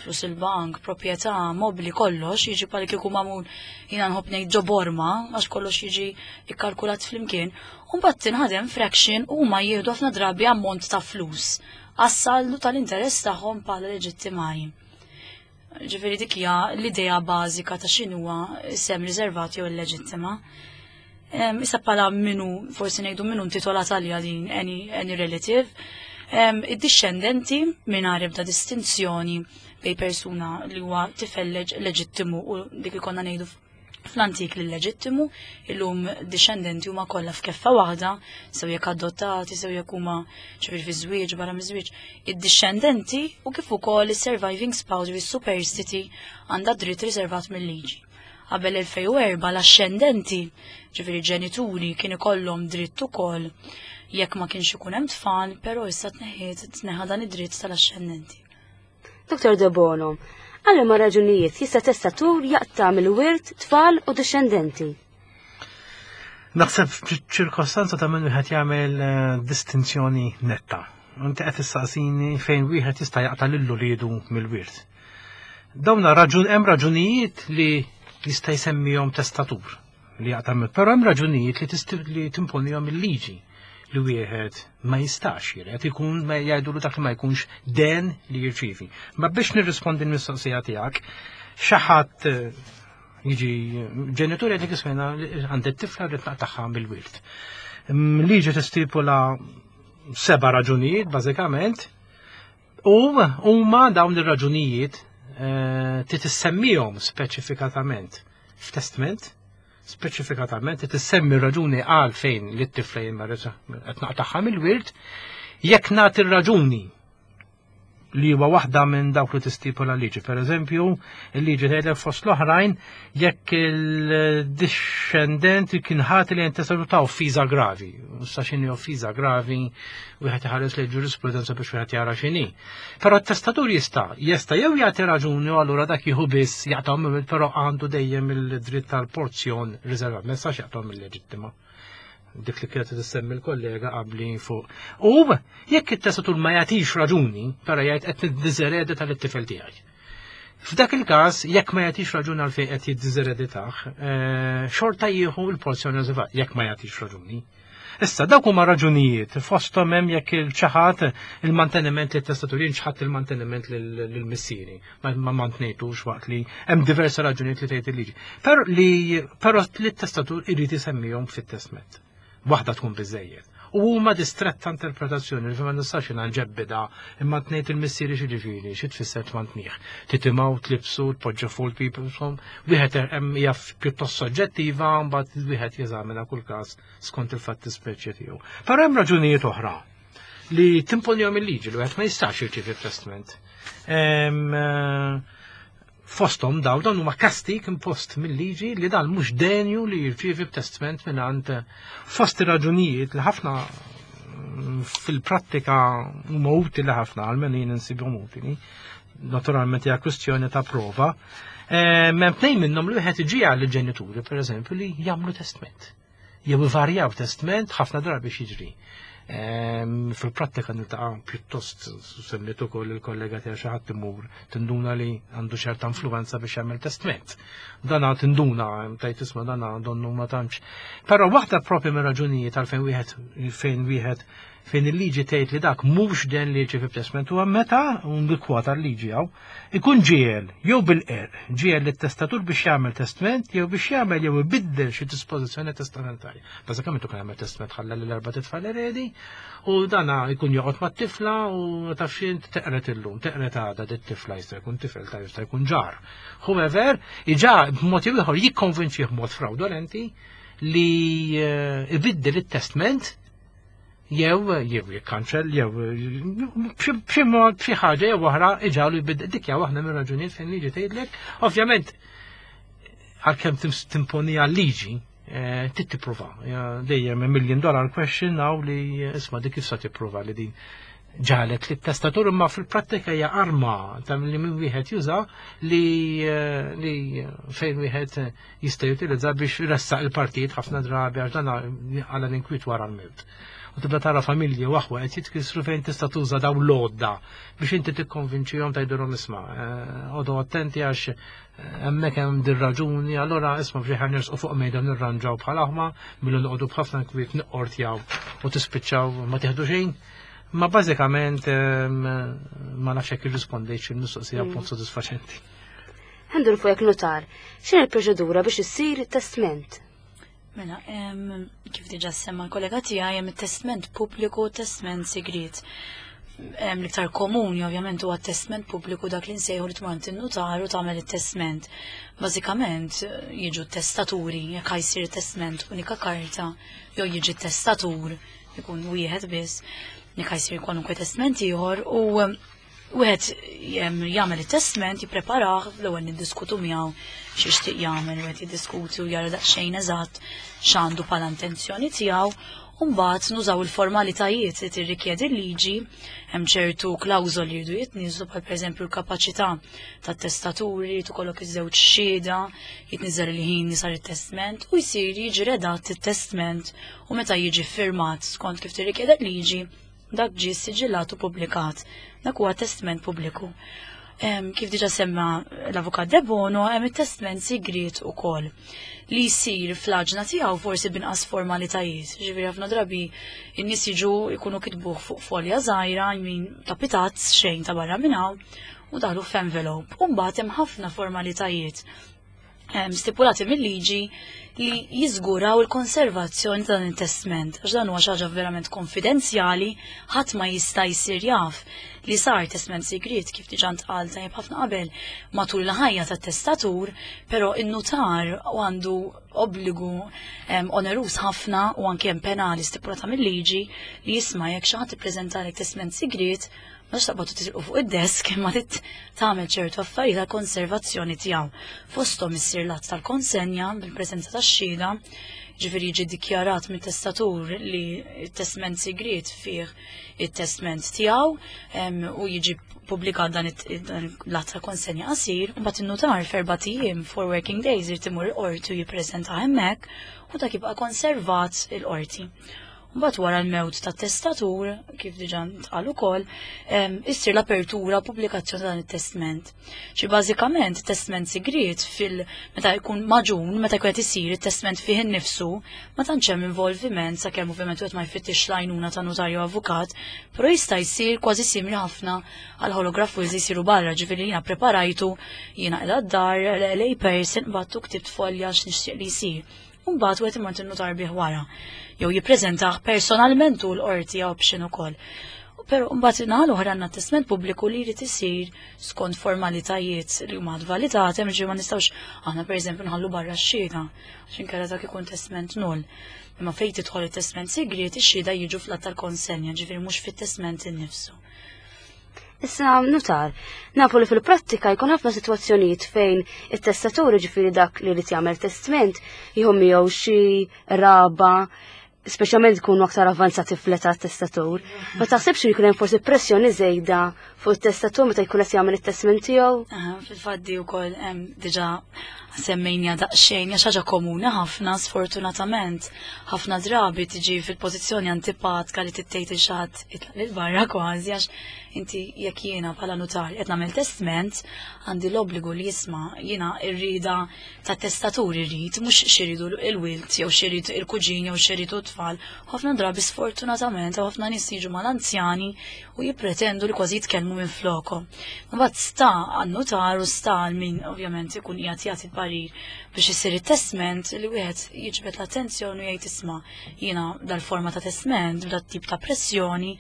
flus il-bank, proprjetà, mobli, kollox, jiġi bħal kieku magħmul, jiena nħobb ngħid ġo borma, għax kollox jiġi ikkalkulat flimkien, u mbagħad tinħadem fraction u huma jieħdu ħafna drabi ammont ta' flus għas-saldu tal-interess tagħhom bħala leġittimarji. Ġifieri dik hija l-idea bażika ta' x'inhuwa sem riservat jew il-leġittima. Issa bħala minu, forsi ngħidu minu intitolat għalija din any, any relative, id-discendenti mingħajr ebda distinzjoni bej persuna li huwa tifel leġittimu u dik ikonna ngħidu fl-antik li leġittimu, illum discendenti huma kollha f'keffa waħda, sew jekk adottati, sew jekk huma ċivil fi żwieġ, barra miż-żwieġ, id-discendenti u kif ukoll is-surviving spouse u s-superstiti għandha dritt riservat mill-liġi. Qabel elfejn u erbgħa l-ascendenti, ġifieri ġenituri, kien ikollhom dritt ukoll jekk ma kienx ikun hemm tfal, però issa tneħħiet tneħħa dan id-dritt tal-ascendenti. Doktor Debono, għal ma raġunijiet jista' testatur jaqta' mill-wirt tfal u discendenti? Naħseb ċirkostanza ta' minn wieħed jagħmel eh, distinzjoni netta. Inti qed tistaqsini fejn wieħed jista' jaqta' lil uliedu mill-wirt. Dawna raġun hemm raġunijiet li jista' jsemmihom testatur li jaqta' mill, però hemm raġunijiet li tisti- li timponihom il-liġi li wieħed ma jistax jiret, ikun ma jgħidulu dak li ma jkunx den li jirċivi. Ma biex nirrispondi l-mistoqsija tiegħek, xi ħadd eh, jiġi ġenituri għedek ismena għandek tifla rrid naqtagħha mill-wirt. Mm, Liġi tistipula seba raġunijiet bażikament u huma dawn ir-raġunijiet eh, trid issemmihom speċifikatament f'testament. Speċifikatament tissemmi raġuni għal fejn li t-tifla jien qed naqtagħha mill-wirt, jekk nagħti raġuni li huwa waħda minn dawk li tistipula liġi. Per eżempju, il-liġi tgħidlek fost l-oħrajn jekk il-discendent kien ħati li jintestatur ta' offiża gravi. Sa x'inhi offiża gravi, wieħed iħares li ġurisprudenza biex wieħed jara x'inhi. Però t-testatur jista' jista' jew jagħti raġuni u allura dak jieħu biss jaqtgħu però għandu dejjem il-dritt tal-porzjon riservat, ma jistax jaqtgħu mill-leġittima. Dik li kienet tissemmi l-kollega qabli fuq. U jekk it-testatur ma jagħtix raġuni, però jgħid qed niddiżeredi tal-tifel tiegħi. F'dak il-każ, jekk ma jagħtix raġuni għalfejn qed jiddiżereditah, xorta jieħu l-porzjoni riservata jekk ma jagħtix raġuni. Issa dawk huma raġunijiet fosthom hemm jekk il-ċaħat il-manteniment li testatur ċaħat il-manteniment lill-missieri. Ma mantnejtux waqt li hemm diversi raġunijiet li tgħid il-liġi. Però li però li t-testatur irid isemmihom fit-testment. Waħda tkun biżejjed. U huma distretta interpretazzjoni li ma nistax jiena nġebbida imma tnejt il-missieri xi ġifieri, xi tfisser tmantnih. Titimgħu, tlibsu, tpoġġu fuq il-people, wieħed hemm hija pjuttost soġġettiva, mbagħad wieħed jeżamina kull każ skont il-fatti speċi tiegħu. Però hemm raġunijiet oħra li timponihom il-liġi li wieħed ma jistax jirċievi testament. Fosthom daw dawn huma kastik impost mill-liġi li dan mhux denju li jirċievi testament mingħand fost ir-raġunijiet li ħafna fil-prattika huma utili ħafna għalmenu jien insibhom utili. Naturalment hija kwistjoni ta' prova. Hemm tnejn minnhom li wieħed iġi għal ġenituri pereżempju li jagħmlu testament. Jew ivarjaw testament ħafna drabi x'jiġri. Fil-prattika niltaqa' pjuttost semmiet ukoll il-kollega tiegħi xi ħadd imur tinduna li għandu ċerta influenza biex jagħmel testament. Dana tinduna tajt isma' dana donnu ma tantx. Però waħda propju minn raġunijiet għalfejn wieħed fejn wieħed fejn il-liġi tgħid li dak mhux den li jiġi testament huwa meta un kwota l-liġi hawn ikun ġiel jew bil-qerq ġiel lit-testatur biex jagħmel testament jew biex jagħmel jew ibiddel xi dispożizzjoni testamentarja. Bażikament ukoll jagħmel testament ħalla lil erba' titfal eredi u dana jkun joqgħod mat-tifla u taf x'int teqret illum, teqret għada dit-tifla jista' jkun tifel ta' jista' jkun ġar. However, iġa b'mod jew ieħor jikkonvinċih b'mod fraudolenti li ibiddel it-testament jew jew jikkanċell jew b'xi mod b'xi ħaġa jew oħra iġagħlu jbiddel dik hija waħda mir-raġunijiet fejn liġi tgħidlek. Ovvjament għalkemm timponi għal-liġi trid tipprova. Dejjem million dollar question hawn li isma' dik kif sa tipprova li din ġalet li t-testatur imma fil-prattika hija arma ta' li min wieħed juża li li fejn wieħed jista' jutilizza biex jressaq il-partijiet ħafna drabi għax dan għala l-inkwiet wara l-mewt. U tibda tara familji u aħwa qed jitkissru fejn tista' tuża dawn l-għodda biex inti tikkonvinċihom tgħidulhom isma' għodu attenti għax hemmhekk hemm din raġuni, allura isma' biex ħa nersqu fuq mejda nirranġaw bħal aħma milli noqogħdu b'ħafna nkwiet niqqortjaw u tispiċċaw ma tieħdu xejn. Ma bażikament ma nafx hekk irrispondejtx il-mistoqsija b'mod sodisfaċenti. Ħa ndur fuq notar, x'inhi l-proċedura biex issir testament? Mela, kif diġà semma l-kollega tiegħi hemm it-testament pubbliku u testament sigriet. L-iktar komuni ovvjament huwa testament pubbliku dak li nsejħu li tmur in-notar u tagħmel it-testament. Bażikament jiġu testaturi jekk jsir testament unika karta jew jiġi testatur ikun wieħed biss jekk jsir kwalunkwe testament ieħor u wieħed jagħmel it-testament, jippreparah, l-ewwel niddiskutu miegħu x'ixtieq jagħmel, wieħed jiddiskuti u jara daqsxejn eżatt x'għandu bħala intenzjoni tiegħu, u mbagħad nużaw il-formalitajiet li tirrikjedi l-liġi, hemm ċertu klawżoli li jridu jitniżlu bħal pereżempju l-kapaċità tat-testaturi, tkollok iż-żewġ xhieda, jitniżel il-ħin li sar it-testament u jsir jiġi redatt it-testament u meta jiġi firmat skont kif tirrikjedi l-liġi dak ġie siġillat u publikat. Dak huwa testament pubbliku. Kif diġa semma l-avukat Debono, hemm it-testament sigriet ukoll li jsir fl-aġna tiegħu forsi binqas formalitajiet. Ġifieri ħafna drabi in-nies jiġu jkunu kitbuh fuq folja żgħira, jmin ta' pitazz xejn ta' barra minn hawn u daħlu f'envelope. U mbagħad hemm ħafna formalitajiet stipulati mill-liġi li jiżguraw il-konservazzjoni ta' dan it-testament. Għax dan huwa xi ħaġa verament konfidenzjali, ħadd ma jista' jsir jaf li sar testament sigriet kif diġà ntqal tajjeb ħafna qabel matul il-ħajja tat-testatur, però in-nutar għandu obbligu oneruż ħafna u anke hemm penali stipulata mill-liġi li jisma' jekk xi ħadd ippreżentalek testament sigriet ma taqbad tisirqu fuq id-desk imma trid tagħmel ċertu affarijiet għal konservazzjoni tiegħu. Fosthom issir l-att tal-konsenja bil-preżenza tax-xhieda, ġifieri jiġi ddikjarat mit-testatur li t-testament sigriet fih it-testament tiegħu u jiġi pubblikat dan l-att tal-konsenja qasir, u mbagħad in-nutar f'erbat ijiem, four working days, irid imur il-qorti u jippreżenta hemmhekk u dak jibqa' konservat il-qorti. Mbagħad wara l-mewt tat-testatur, kif diġà ntqal ukoll, issir l-apertura pubblikazzjoni ta' dan it-testament. Xi bażikament testament sigriet fil meta jkun maġun, meta jkun qed isir it-testament fih innifsu, ma tantx hemm involviment sakemm ovvjament wieħed ma jfittix l-għajnuna ta' notarju avukat, però jista' jsir kważi simili ħafna għal holograph wills li jsiru barra, ġifieri jiena preparajtu, jiena qiegħda d-dar, lay person, battu ktibt folja x'nixtieq li jsir. Mbagħad wieħed imur in-notar bih wara, jew jippreżentah personalment u l-qorti option ukoll. Però mbagħad naħa l-oħra għandna testament pubbliku li jrid isir skont formalitajiet li huma validati, hemm ġifieri ma nistgħux aħna pereżempju nħallu barra x-xhieda, għax inkella dak ikun testament null. Imma fejn tidħol it-testament sigriet, ix-xhieda jiġu fl-att tal-konsenja, ġifieri mhux fit-testament innifsu. Issa, notar, nafu li fil-prattika jkun ħafna sitwazzjonijiet fejn it-testatur, ġifieri dak li jrid jagħmel testament, jieħu miegħu xi raba, speċjalment jkunu aktar avvanzati fl-età testatur. Ma taħsibx li jkun hemm forsi pressjoni żejda fuq it-testatur meta jkun qed jagħmel it-testament tiegħu? Aha, fil-fatt di wkoll hemm diġà semmejna daqsxejn, hija xi ħaġa komuni ħafna, sfortunatament. Ħafna drabi tiġi fil-pożizzjoni antipatika li tittejt il xi ħadd itlaq lil barra kważi, għax inti jekk jiena bħala notar qed nagħmel testament, għandi l-obbligu li jisma' jiena r-rieda tat-testatur irrid, mhux x'iridu l-wild jew x'irid il-kuġin jew x'iridu t-tfal. Ħafna drabi sfortunatament ħafna nies jiġu mal-anzjani u jippretendu li kważi jitkellmu minn flokom. Mbagħad sta għan-notar u sta għal min ovvjament ikun qiegħed jagħti parir biex isir it-testament li wieħed jiġbed l-attenzjoni u jgħid isma' jiena dal-forma ta' testament, dat-tip ta' pressjoni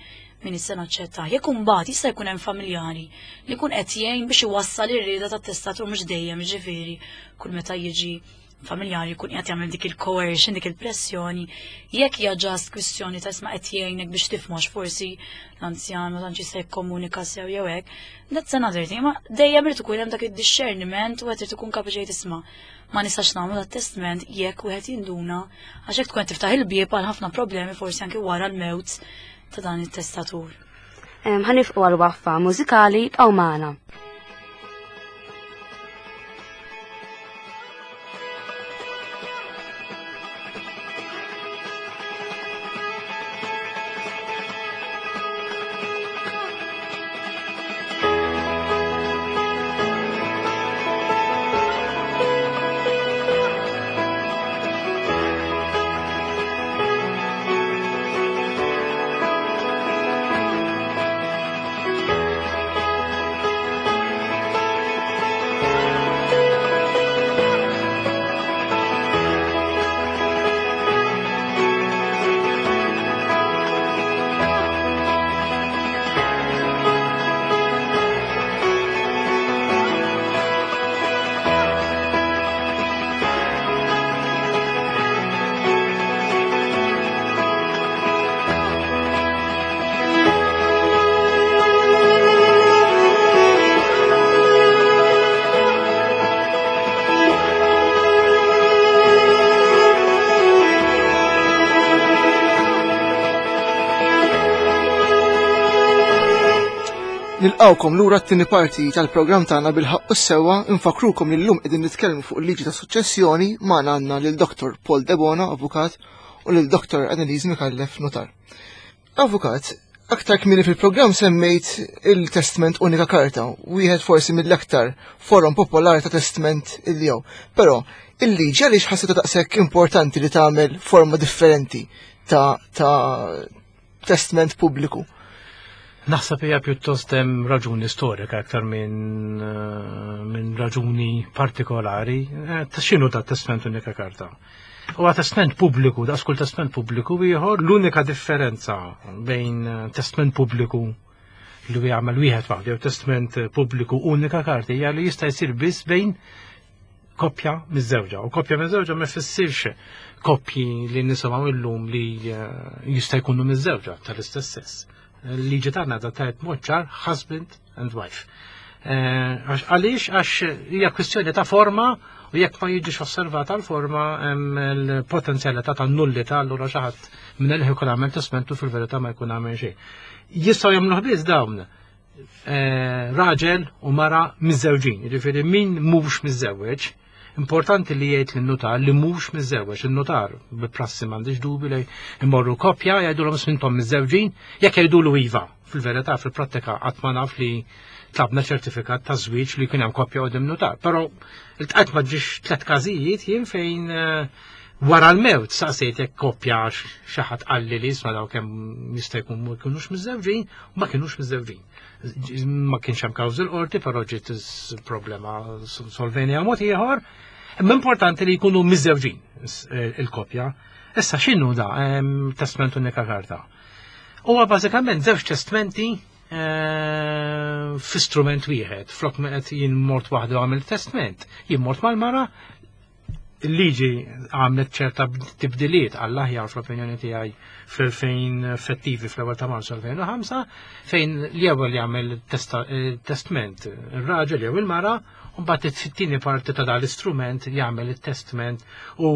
min issa naċċetta. Jekk imbagħad jista' jkun hemm familjari li jkun qed jgħin biex iwassal ir-rieda tat-testatur mhux dejjem, ġifieri kull meta jiġi familjari jkun qiegħed jagħmel dik il-coercion, dik il-pressjoni, jekk hija ġast kwistjoni ta' isma' qed jgħinek biex tifhmu forsi l-anzjan ma tantx jista' jikkomunika sew jew hekk, that's another thing. Ma dejjem irid ikun hemm dak id-discerniment u qed irid ikun kapaċi jgħid isma' ma nistax nagħmlu dat testament jekk wieħed jinduna, għax hekk tkun qed tiftaħ il-bieb għal ħafna problemi forsi anke wara l-mewt ta' dan it-testatur. Ħanifqu għal waqfa mużikali bqgħu magħna. Nilqawkom lura t-tieni parti tal-programm tagħna bil-ħaqq u s-sewwa, infakrukom li llum qegħdin nitkellmu fuq il-liġi ta' suċċessjoni magħna għandna lil Doktor Paul Debono, avukat, u lil Doktor Annalise Micallef, notar. Avukat, aktar kmieni fil-programm semmejt il-testament unika karta, wieħed forsi mill-aktar forum popolari ta' testament illi jew. Però il-liġi għaliex ħassitha daqshekk importanti li tagħmel forma differenti ta', ta' testament pubbliku? Naħseb hija pjuttost hemm raġuni storika aktar minn eh, min raġuni partikolari. Eh, ta' x'inhu ta' testament unika karta? Huwa testament pubbliku, daqs kull testament pubbliku ieħor, l-unika differenza bejn eh, testament pubbliku li jagħmel wieħed waħdu jew testament pubbliku unika karta hija li jista' jsir biss bejn koppja miż-żewġa. U koppja miż-żewġa ma jfissirx koppji li nisimgħu illum li jista' jkunu miż-żewġa tal-istess sess. Liġi tagħna da tajt mod ċar husband and wife. Għaliex għax hija kwistjoni ta' forma u jekk ma jiġix osservata l-forma hemm il-potenzjalità ta' nullità, allura xi ħadd minn li jkun għamel testamentu fil-verità ma jkun għamel xejn. Jistgħu jagħmluh biss dawn raġel u mara miżżewġin, jiġifieri min mhux miżżewweġ. Importanti li jgħid lin-nutar li mhux miżżewweġ, in-nutar bil-prassi m'għandix dubi li jmorru koppja jgħidulhom ismintom miżżewġin, jekk jgħidulu iva. Fil-verità fil-prattika qatt ma naf li tlabna ċertifikat ta' żwieġ li jkun hemm koppja qudiem nutar. Però iltqajt ma ġiex tliet każijiet jien fejn wara l-mewt saqsejt jekk koppja xi ħadd qalli li isma' daw kemm jista' jkun ma jkunux miżżewġin u ma kinux miżżewġin. Ma kienx hemm kawżi l-qorti, però ġiet problema solvenja mod ieħor. Imma importanti li jkunu miżżewġin il-koppja. Issa x'inhu da testament unika karta? Huwa bażikament żewġ testmenti f'istrument wieħed. Flok ma qed jien mort waħdu għamil testament, jien mort mal-mara, il-liġi għamlet ċerta tibdiliet għall-aħjar fl-opinjoni tiegħi fl-elfejn effettivi fl-ewwel ta' Marzu elfejn u ħamsa, fejn l-ewwel jagħmel testament ir-raġel jew il-mara, u mbagħad it-tieni parti ta' dan l-istrument jagħmel it-testament u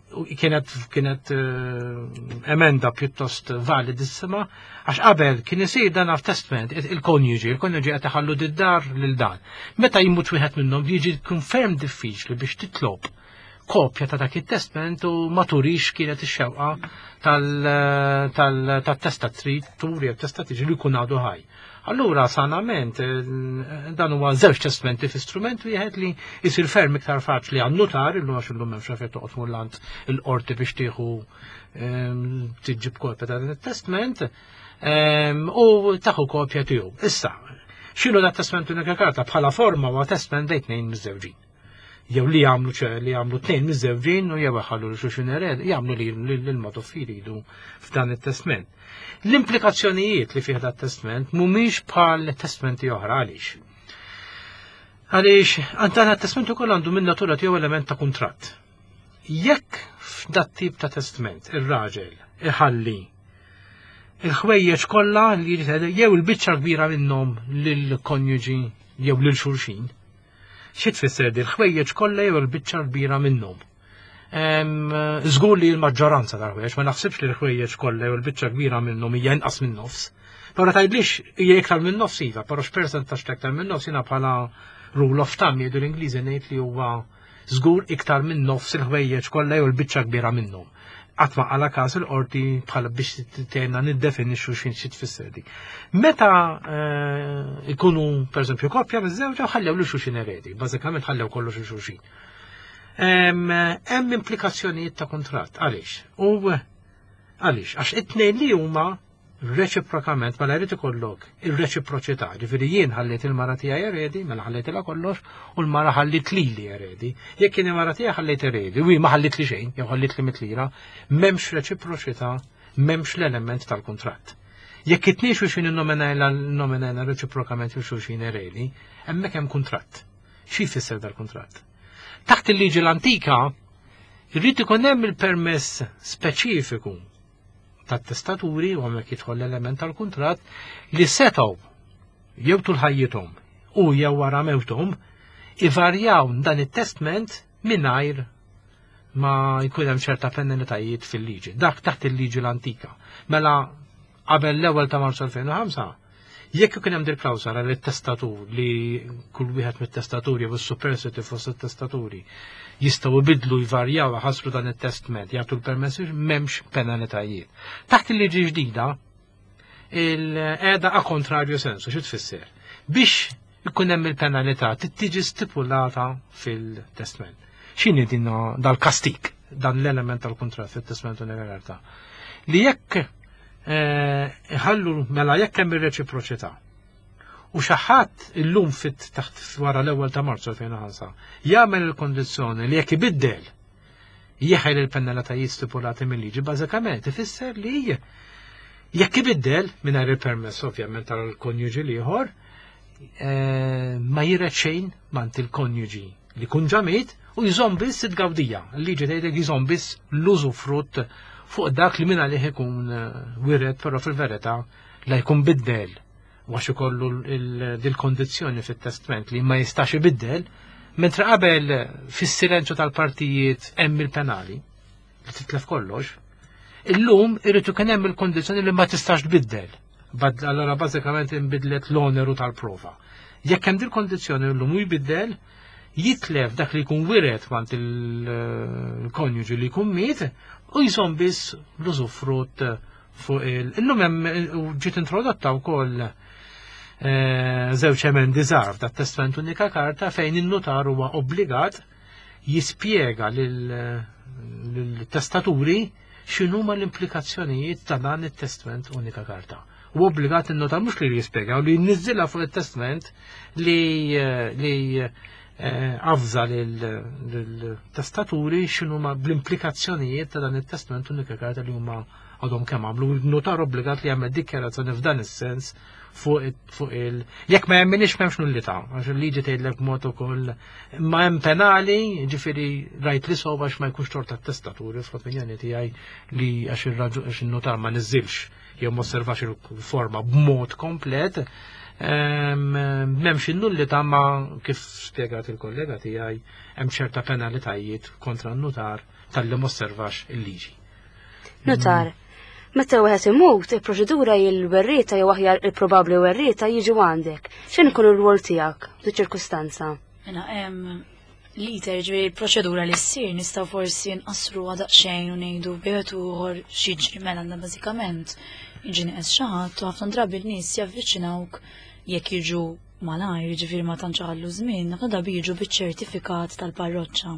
kienet kienet emenda pjuttost validissima għax qabel kien isir dan testament il-konjuġi, il-konjuġi qed iħallu d-dar lil dan. Meta jmut wieħed minnhom jiġi jkun ferm diffiċli biex titlob kopja ta' dak it-testament u ma turix kienet ix-xewqa tal-testatritur jew testatriċi li jkun għadu ħaj. Allura sanament dan huwa żewġ testamenti fi strument wieħed li jsir ferm iktar faċli għan-nutar illum għax illum m'hemmx fejn toqgħod tmur lant il-qorti biex tieħu tiġib kopja ta' dan it-testament u taħu kopja tiegħu. Issa, x'inhu dat testament unika karta bħala forma huwa testament bejn tnejn miż-żewġin. Jew li jagħmlu li jagħmlu tnejn miż-żewġin u jew iħallu lil xulxin ered, jagħmlu li l-mod jridu f'dan it-testament. L-implikazzjonijiet li fih dat testament mhumiex bħal testamenti oħra. Għaliex? Għaliex dan it-testament ukoll għandu minn natura tiegħu element ta' kuntratt. Jekk f'dat tip ta' testament ir-raġel iħalli il-ħwejjeġ kollha li jew il-biċċa kbira minnhom lill-konjuġi jew lil xulxin, xi tfisser di l-ħwejjeġ kollha jew il-biċċa kbira minnhom? Żgur li l-maġġoranza tal-ħwejjeġ, ma naħsibx li l-ħwejjeġ kollha jew il-biċċa kbira minnhom hija inqas minn nofs. Però tgħidlix hija iktar minn nofs iva, però x'persentaġġ ta' iktar minn nofs jiena bħala rule of thumb jgħidu l-Ingliżi ngħid li huwa żgur iktar minn nofs il-ħwejjeġ kollha jew il-biċċa kbira minnhom. Qatt ma qala każ il-qorti bħala biex tgħinna niddefinixxu x'in xi tfisser di. Meta ikunu pereżempju koppja miż-żewġa ħallew lil xulxin eredi, bażikament ħallew kollox lil xulxin. Hemm implikazzjonijiet ta' kuntratt. Għaliex? U għaliex? Għax it-tnejn li huma reċiprokament mela jrid ikollok ir-reċiproċità, ġifieri jien ħalliet il-mara tiegħi eredi, mela ħallejtilha kollox, u l-mara ħalliet lili eredi. Jekk kien il-mara tiegħi ħallejt eredi, u ma ħalliet li xejn, jew ħalliet li mitlira, m'hemmx reċiproċità, m'hemmx l-element tal-kuntratt. Jekk it-tnejn xulxin innominajna reċiprokament jew xulxin eredi, hemmhekk hemm kuntratt. Xi jfisser dal-kuntratt? Taħt il-liġi l-antika, jrid ikun hemm il-permess speċifiku tat-testaturi u hemmhekk jidħol l-element tal-kuntratt li setgħu jew tul ħajjithom u jew wara mewthom ivarjaw dan it-testament mingħajr ma jkun hemm ċerta penalitajiet fil-liġi. Dak taħt il-liġi l-antika. Mela qabel l-ewwel ta' Marzu elfejn u ħamsa, jekk ikun hemm dil klawsola li t-testatur li kull wieħed mit-testaturi jew is-superstiti fost it-testaturi jistgħu jbidlu jvarjaw ħasru dan it-testament jagħtu l-permessi m'hemmx penalitajiet. Taħt il-liġi ġdida il-qegħda a kontrarju sensu, xi tfisser? Biex ikun hemm il-penalità tiġi stipulata fil-testament. X'inhi din dal-kastik, dan l-element tal-kuntratt fit-testament universali? Li jekk Iħallu mela jekk hemm ir-reċiproċità. U xi ħadd illum fit taħt wara l-ewwel ta' Marzu elfejn u ħamsa jagħmel il-kondizzjoni li jekk ibiddel jeħel il-penalitajiet stipulati mill-liġi, bażikament ifisser li jekk ibiddel mingħajr il-permess ovvjament tal-konjuġi l-ieħor, ma jiret xejn mant il-konjuġi li kun ġamit u jżomm biss it-gawdija. Il-liġi tgħidlek jżomm biss l-użufrutt fuq dak li minn għalih ikun wiret, però fil-verità la jkun biddel għax ikollu dil-kondizzjoni fit-testament li ma jistax ibiddel, mentre qabel fis-silenzju tal-partijiet hemm il-penali li titlef kollox. Illum irid ikun hemm il-kondizzjoni li ma tistax tbiddel. Allora bażikament inbidlet l-oneru tal-prova. Jekk hemm dil-kondizzjoni llum u jbiddel, jitlef dak li jkun wiret mant il-konjuġi li jkun miet u jżomm biss l-użufrutt fuq il. Illum hemm ġiet introdotta wkoll żewġ emendi żgħar dat-testament unika karta fejn in-notar huwa obbligat jispjega lill-testaturi x'inhuma l-implikazzjonijiet ta' dan it-testament unika karta. U obbligat in-notar mhux li jispjega u li jniżżilha fuq it-testament li li avża lill-testaturi x'inhuma bl-implikazzjonijiet ta' dan it-testament unika karta li huma għadhom kemm għamlu. Il-notar obbligat li jagħmel dikjarazzjoni f'dan is-sens fuq il jekk ma jemminix m'hemmx nullità, għax il-liġi tgħidlek b'mod ukoll ma hemm penali, ġifieri rajt li sow għax ma jkunx tort tat-testaturi fl-opinjoni tiegħi li għax ir-raġun għax in-notar ma niżilx jew ma osservax il-forma b'mod komplet, m'hemmx in-nullità, ma kif spjegat il-kollega tiegħi hemm ċerta penalitajiet kontra n-notar talli ma osservax il-liġi. Notar, meta wieħed imut, il-proċedura il-werrieta jew aħjar il-probabbli werrieta jiġu għandek. X'in ikun ir-rwol tiegħek f'di ċirkustanza? Mela hemm liter ġifieri l-proċedura li ssir nistgħu forsi nqassru daqsxejn u ngħidu bejn ieħor x'jiġri. Mela għandna bażikament jiġi nieqes xi ħadd u ħafna drabi n-nies javviċinawk jekk jiġu malajr, ġifieri ma tantx iħallu żmien, ħafna drabi jiġu biċ-ċertifikat tal-parroċċa.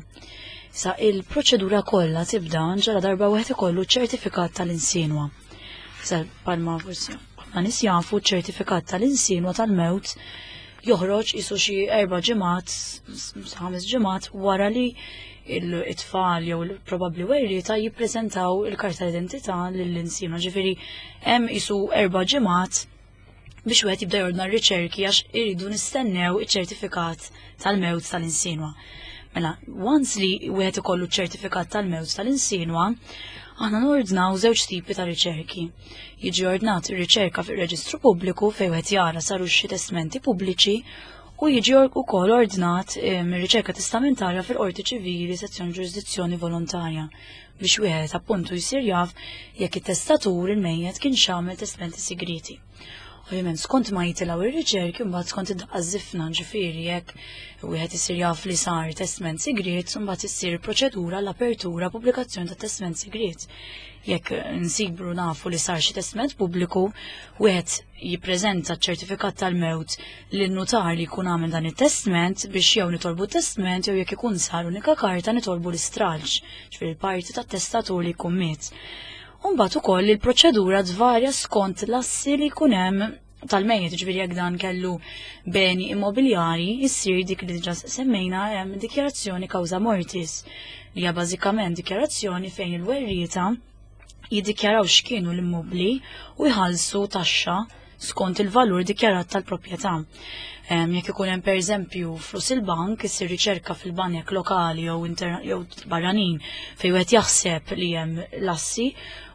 Sa il-proċedura kollha tibda ġara darba wieħed ikollu ċertifikat tal-insinwa. Sa palma forsi ħafna nies jafu ċertifikat tal-insinwa tal-mewt joħroġ isu xi erba' ġimgħat, ħames ġimgħat wara li it-tfal jew probabbli werrieta jippreżentaw il-karta tal-identità lill-insinwa. Ġifieri hemm isu erba' ġimgħat biex wieħed jibda jordna r-riċerki għax iridu nistennew iċ-ċertifikat tal-mewt tal-insinwa. Mela, once li wieħed ikollu ċertifikat tal-mewt tal-insinwa, aħna nordnaw żewġ tipi ta' riċerki. Jiġi ordnat ir-riċerka fir-reġistru pubbliku fejn wieħed jara saru xi testmenti pubbliċi u jiġi wkoll ordnat ir-riċerka testamentarja fil-Qorti Ċivili sezzjoni ġurisdizzjoni volontarja biex wieħed appuntu jsir jaf jekk it-testatur il-mejjet kien x'għamel testmenti segreti. Ovvjament skont ma jitilgħu ir-riċerki mbagħad skont id-daqqa żifna, ġifieri jekk wieħed isir jaf li sar testment sigriet, mbagħad issir proċedura l-apertura pubblikazzjoni ta' testment sigriet. Jekk nsibru nafu li sar xi testment pubbliku, wieħed jippreżenta ċ-ċertifikat tal-mewt lin-nutar li jkun għamel dan it-testment biex jew nitolbu testment jew jekk ikun sar unika karta nitolbu l-istralċ, ġifieri l-parti tat-testatur li jkun miet. Mbagħad ukoll il-proċedura tvarja skont l-assi li jkun hemm tal-mejjet, ġifieri jekk dan kellu beni immobiljari, issir dik li diġà semmejna hemm dikjarazzjoni causa mortis, li hija bażikament dikjarazzjoni fejn il-werrieta jiddikjaraw x'kienu l-immobbli u jħallsu taxxa skont il-valur dikjarat tal-proprjetà. Jekk ikun hemm pereżempju flus il-bank, issir riċerka fil-bank lokali jew jew barranin fejn wieħed jaħseb li hemm l-assi,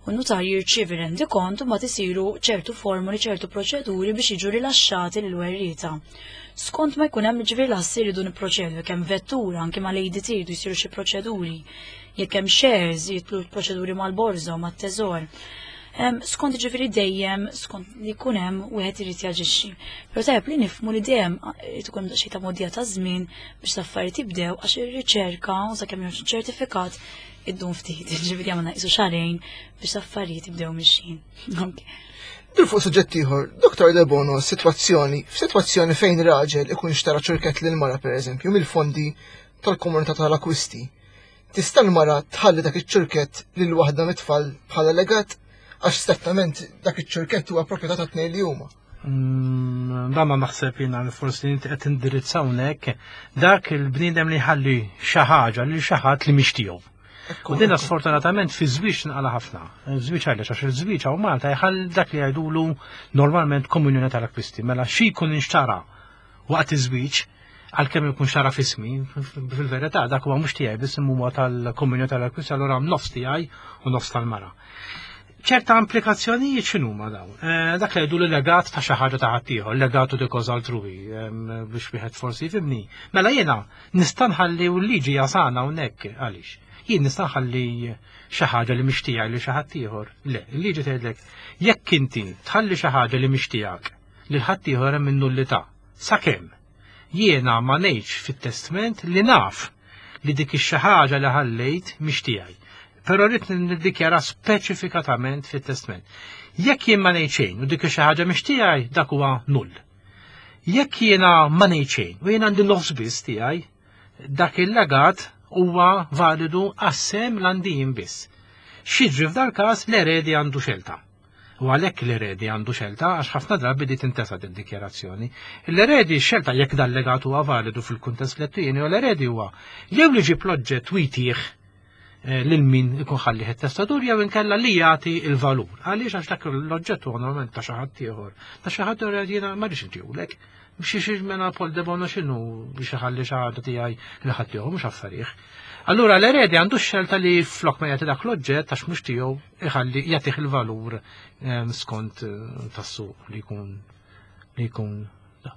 u n-nutar jirċievi rendikont u mbagħad isiru ċertu formuli, ċertu proċeduri biex jiġu rilaxxati lil werrieta. Skont ma jkun hemm ġifieri l-assi jridu nipproċedu, jekk hemm vettura anke mal-A D T jridu jsiru xi proċeduri, jekk hemm shares jitlu proċeduri mal-borża u mat-teżor. Skont ġifieri dejjem skont li jkun hemm wieħed irid jaġixxi. Però tajjeb li nifhmu li dejjem irid ikun xi ta' modija ta' żmien biex l-affarijiet jibdew għax ir-riċerka u sakemm joħroġ ċertifikat iddum ftit, ġifieri għamilna qisu xahrejn biex l-affarijiet jibdew mixjin. Dur fuq suġġett ieħor, Doktor Debono, sitwazzjoni, f'sitwazzjoni fejn raġel ikun xtara ċurkett lil mara pereżempju mill-fondi tal-komunità tal-akwisti. Tista' l-mara tħalli dak iċ-ċurkett lil waħda mit-tfal bħala legat? Għax strettament dak iċ-ċurkett huwa proprjetà ta' tnejn li huma. Mm, Dan ma naħseb jiena li forsi inti qed tindirizza hawnhekk dak il-bniedem li jħalli xi ħaġa lil xi ħadd li mhix tiegħu. U dinna sfortunatament fi żwieġ nqala ħafna. Żwieġ għaliex għax il-żwieġ hawn Malta jħall dak li jgħidulu normalment komunjoni tal-akkwisti. Mela xi jkun inxtara waqt iż-żwieġ għalkemm ikun xtara f'ismi, fil-verità dak huwa mhux tiegħi biss huwa tal-komunjoni tal-akkwisti allura nofs tiegħi u nofs tal-mara. ċerta implikazzjonijiet x'inhuma dawn? Eh, Dak li jgħidu li legat ta' xi ħaġa ta' ħaddieħor, legatu di cosa altrui, em, biex wieħed forsi jifhimni. Mela jiena nista' nħalli u l-liġi jasana hawnhekk għaliex. Jien nista' nħalli xi ħaġa li mhix tiegħi li xi ħadd ieħor. Le, il-liġi tgħidlek jekk inti tħalli xi ħaġa li mhix tiegħek lil ħadd ieħor hemm in-nullità. Sakemm jiena ma ngħidx fit-testment li naf li dik ix-xi ħaġa li ħallejt mhix tiegħi. Però rrid niddikjara speċifikatament fit-testment. Jekk jien ma ngħid xejn u dik xi ħaġa mhix tiegħi, dak huwa null. Jekk jiena ma ngħid xejn u jien għandi nofs biss tiegħi, dak il-legat huwa validu għas-sehem li jien biss. X'jiġri f'dal każ l-eredi għandu xelta. U għalhekk l-eredi għandu xelta għax ħafna drabi di tintesa din dikjarazzjoni. L-eredi xelta jekk dal legat huwa validu fil-kuntest lettini u l-eredi huwa jew li jġib l-oġġett u jtih eh, lil min ikun ħalli testatur jew inkella li jagħti il-valur. Għaliex għax dak l-oġġett huwa normalment ta' xi ħadd ieħor. Ta' xi ħadd ieħor jiena ma rridx intihulek. Biex xi mena Paul de Bono x'inhu biex iħalli xi ħaġa tiegħi li ħadd ieħor mhux affarih. Allura l-eredi għandu xelta li flok ma jagħti dak l-oġġett għax mhux tiegħu iħalli jagħtih il-valur eh, skont eh, tas-suq li jkun li jkun da.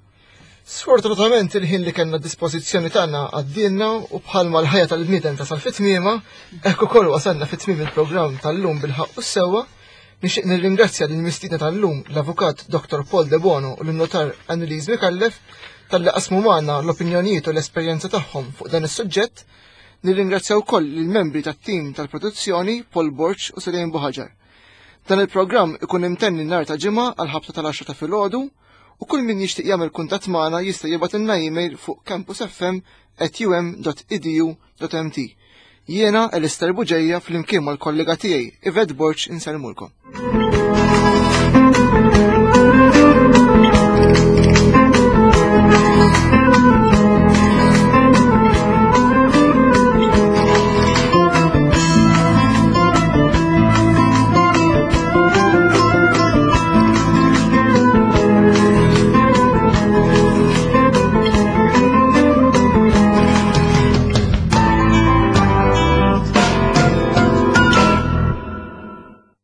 Sfortunatament il-ħin li kellna dispożizzjoni tagħna għaddielna u bħalma l-ħajja tal-bniedem tasal fit-tmiema, hekk ukoll wasalna fit-tmiem il-programm tal-lum bil-ħaqq u s-sewwa. Nixtieq nirringrazzja lil mistiedna tal-lum l-Avukat Dr. Paul De Bono u l-Notar Annelise Micallef talli qasmu magħna l-opinjonijiet u l-esperjenza tagħhom fuq dan is-suġġett. Nirringrazzja wkoll lill-membri tat-tim tal-produzzjoni Paul Borg u Selene Buħaġar. Dan il-programm ikun imtenni nhar ta' ġimgħa għal ħabta tal-għaxra ta' filgħodu u kull min jixtieq jagħmel kuntatt magħna jista' jibgħatilna email fuq campusfm at um dot edu dot M T. Jiena Elister Buġeja flimkien mal-kollega tiegħi Yvette Borg insellmulkom.